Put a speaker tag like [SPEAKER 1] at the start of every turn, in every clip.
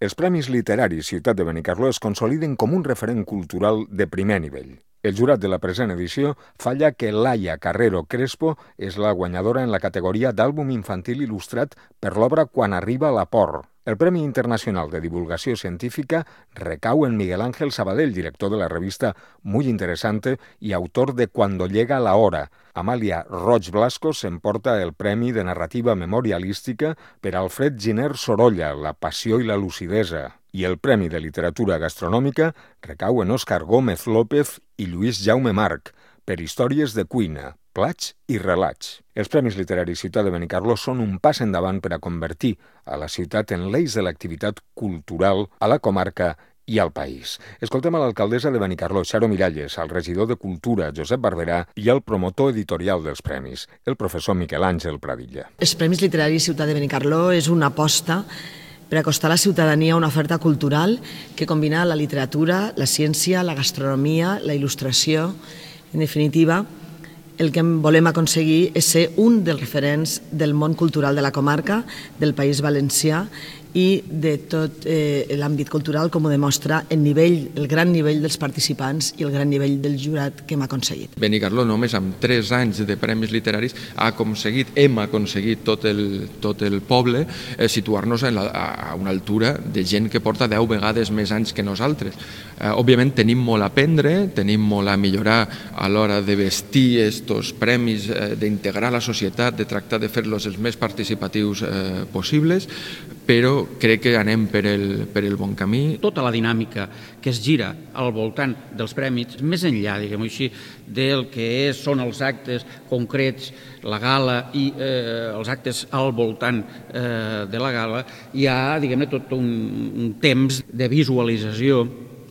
[SPEAKER 1] Els Premis Literaris Ciutat de Benicarló es consoliden com un referent cultural de primer nivell. El jurat de la present edició falla que Laia Carrero Crespo és la guanyadora en la categoria d'àlbum infantil il·lustrat per l'obra Quan arriba la por. El Premi Internacional de Divulgació Científica recau en Miguel Ángel Sabadell, director de la revista Muy Interesante i autor de Cuando llega la hora. Amàlia Roig Blasco s'emporta el Premi de Narrativa Memorialística per Alfred Giner Sorolla, La passió i la lucidesa. I el Premi de Literatura Gastronòmica recau en Òscar Gómez López i Lluís Jaume March, per històries de cuina, plats i relats. Els Premis Literaris Ciutat de Benicarló són un pas endavant per a convertir a la ciutat en l'eix de l'activitat cultural a la comarca i al país. Escoltem a l'alcaldessa de Benicarló, Xaro Miralles, al regidor de Cultura, Josep Barberà, i al promotor editorial dels premis, el professor Miquel Àngel Pradilla.
[SPEAKER 2] Els Premis Literaris Ciutat de Benicarló és una aposta per acostar a la ciutadania una oferta cultural que combina la literatura, la ciència, la gastronomia, la il·lustració. En definitiva, el que volem aconseguir és ser un dels referents del món cultural de la comarca, del País Valencià i de tot l'àmbit cultural, com ho demostra el gran nivell dels participants i el gran nivell del jurat que hem aconseguit.
[SPEAKER 3] Benicarló només amb 3 anys de premis literaris hem aconseguit tot el poble situar-nos a una altura de gent que porta 10 vegades més anys que nosaltres. Òbviament tenim molt a aprendre, tenim molt a millorar a l'hora de vestir aquests premis, d'integrar la societat, de tractar de fer-los els més participatius possibles, però crec que anem per el bon camí.
[SPEAKER 4] Tota la dinàmica que es gira al voltant dels premis, més enllà, diguem-ho així, del que són els actes concrets, la gala i els actes al voltant de la gala, hi ha, diguem-ne, tot un temps de visualització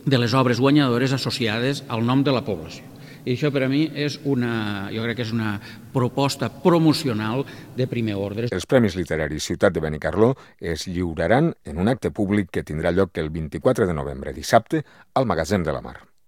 [SPEAKER 4] de les obres guanyadores associades al nom de la població. I això per a mi jo crec que és una proposta promocional de primer ordre.
[SPEAKER 1] Els Premis Literaris Ciutat de Benicarló es lliuraran en un acte públic que tindrà lloc el 24 de novembre, dissabte, al Magatzem de la Mar.